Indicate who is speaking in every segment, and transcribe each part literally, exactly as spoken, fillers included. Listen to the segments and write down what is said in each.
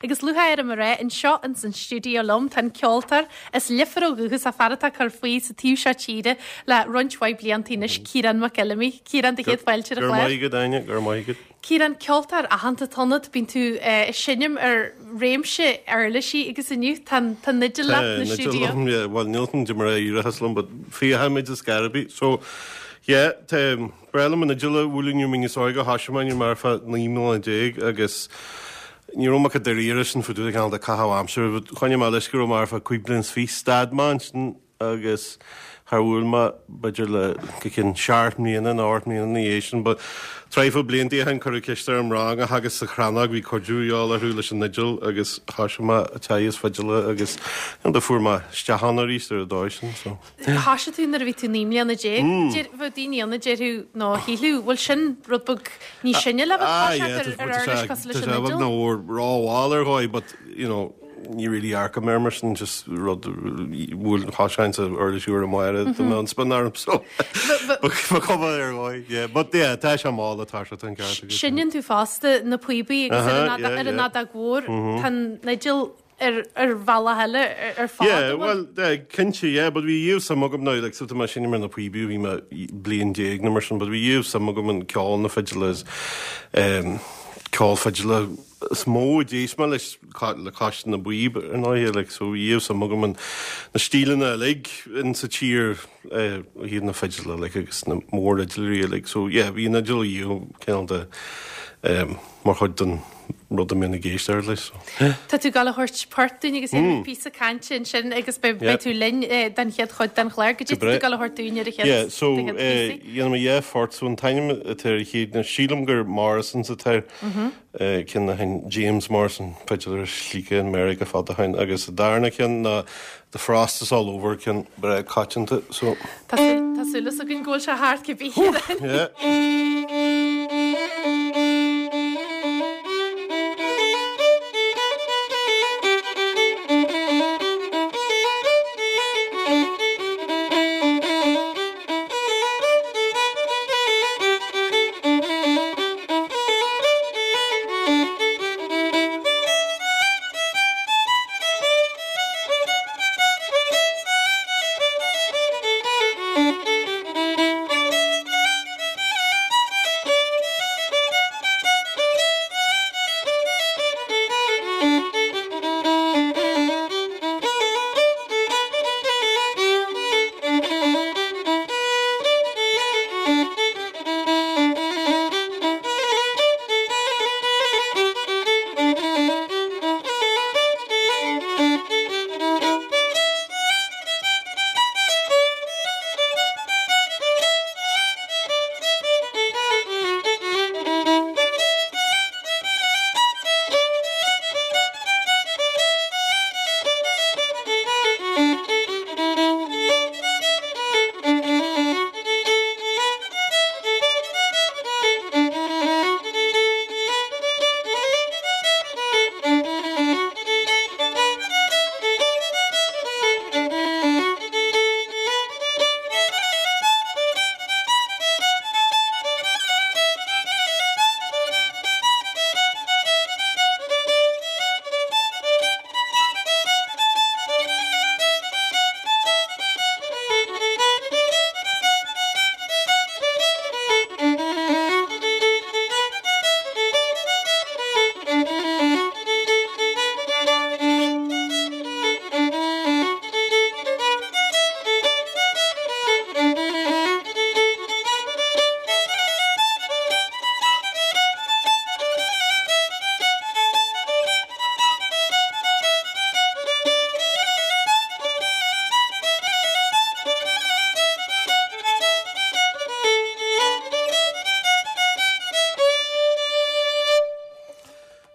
Speaker 1: Agus lúcháir orm a rá, anseo ins an stiúideo liom tá an ceoltóir as Leifear ó dhúchas, fear atá ag cur faoi sa taobh seo tíre le roinnt mhaith blianta anois, Ciarán Mac Fheilimí. Ciarán, do chéad fáilte ar an
Speaker 2: Go raibh
Speaker 1: chlár.
Speaker 2: maith agat, Áine, go raibh maith agat.
Speaker 1: Ciarán, ceoltóir aitheanta atá ionat, bíonn tú ag seinm ar réimse uirlisí agus inniu tá an tá an fhidil leat
Speaker 2: Tá
Speaker 1: na
Speaker 2: an fhidil
Speaker 1: stiúideo.
Speaker 2: liom, yeah, bhuel níl an mar a éireachas liom, but féachaimid is garbí. So, yeah, tá breá liom an fhidil a bhualadh nuair a bhí mé níos óige, thoisigh mé nuair mar fá naoi mbliana déag agus ní raibh mé chomh dáiríre sin fá dtaobh de cineál de caitheamh aimsire, but choinnigh mé leis go raibh mé ar feadh cúig bliana is fiche, stad mé ansin agus char bhuail mé b'fhéidir le go cionn seacht mbliana nó ocht mbliana ina dhiaidh sin, but traidhfil blianta ó shin cuireadh ceist orm rang a theagasc sa Chrannóg, bhí cuidiú a dhíobháil orthu leis an fhidil agus thoisigh mé ag teagasc fidile agus you know, do fuair mé isteach ann arís ar an dóigh sin, so.
Speaker 1: Thoisigh tú nuair a bhí tú naoi mbliana déag. Deir, bheadh daoine ann a déarfadh nó shílfeadh, bhfuil sin rud beag níos sine le bheith
Speaker 2: Ah,
Speaker 1: toiseacht
Speaker 2: yeah,
Speaker 1: ar ar uirlis cosúil leis
Speaker 2: tá
Speaker 1: an
Speaker 2: sé beag
Speaker 1: fhidil?
Speaker 2: nó rómhall ar dhóigh, but, you know, ní really dearcaim air mar sin, just rud bhfuil thoiseoinn sa uirlis úr amháin do mbeadh an spin orm, so ba chuma ar dhóigh, yeah, but yeah, tá sé mall atá sé an ceart agat.
Speaker 1: Seinneann tú fosta na píobaí agus ar
Speaker 2: Aha,
Speaker 1: an
Speaker 2: yeah,
Speaker 1: ar an
Speaker 2: yeah.
Speaker 1: fheadóg mhór, tá an fhidil ar ar bhealach eile ar ar fad,
Speaker 2: Yeah,
Speaker 1: an bhfuil?
Speaker 2: well, eh, cinnte, yeah, but bhí riamh suim agam now, like, so tá mé ag seinm ar na píobaí, bhí mé bliain déag nó mar sin, but bhí riamh suim agam in ceol na fidile is, um, ceol fidile is mó a d'éist mé leis ca- le cois na bpíob ar ndóigh, like, so bhí riamh suim agam in na stíleanna uilig in sa tír, eh, iad na fidile, like, agus na mórfhidiléirí uilig, so yeah, bhí an fhidil riamh cineál de, um, mar chuid den rud a mbíonn ag éisteacht leis, so.
Speaker 1: Tá tú ag gabháil a thabhairt port dúinn agus mm. píosa cainte ansin agus beidh
Speaker 2: Yeah.
Speaker 1: beidh tú linn eh, den chéad chuid den chlár. Goidé
Speaker 2: Go
Speaker 1: tá tú
Speaker 2: breá.
Speaker 1: ag gabháil a thabhairt dúinn ar an chéad
Speaker 2: Yeah, so
Speaker 1: den chéad píosa?
Speaker 2: dhéanfaidh mé dhá phort, so an t-ainm atá ar an chéad ná sílim gur Morrison's atá air, eh, ceann a sheinn James Morrison, fidiléir slíoctha in Meiriceá fada ó shin, agus an darna ceann ná The Frost is All Over, ceann breá coitianta, so
Speaker 1: Tá súil tá súil againn go bhfuil sé thart cibé.
Speaker 2: yeah.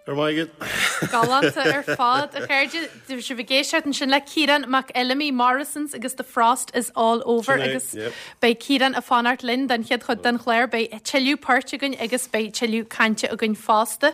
Speaker 2: Go raibh maith agat.
Speaker 1: Galánta ar fad a chairde bhí sibh ag éisteacht ansin le Ciarán Mac Fheilimí Morrison's agus The Frost is All Over
Speaker 2: Sin é,
Speaker 1: agus
Speaker 2: yep.
Speaker 1: beidh Ciarán ag fanacht linn den chéad chuid den chlár, beidh tuilleadh poirt againn agus beidh tuilleadh cainte againn fosta.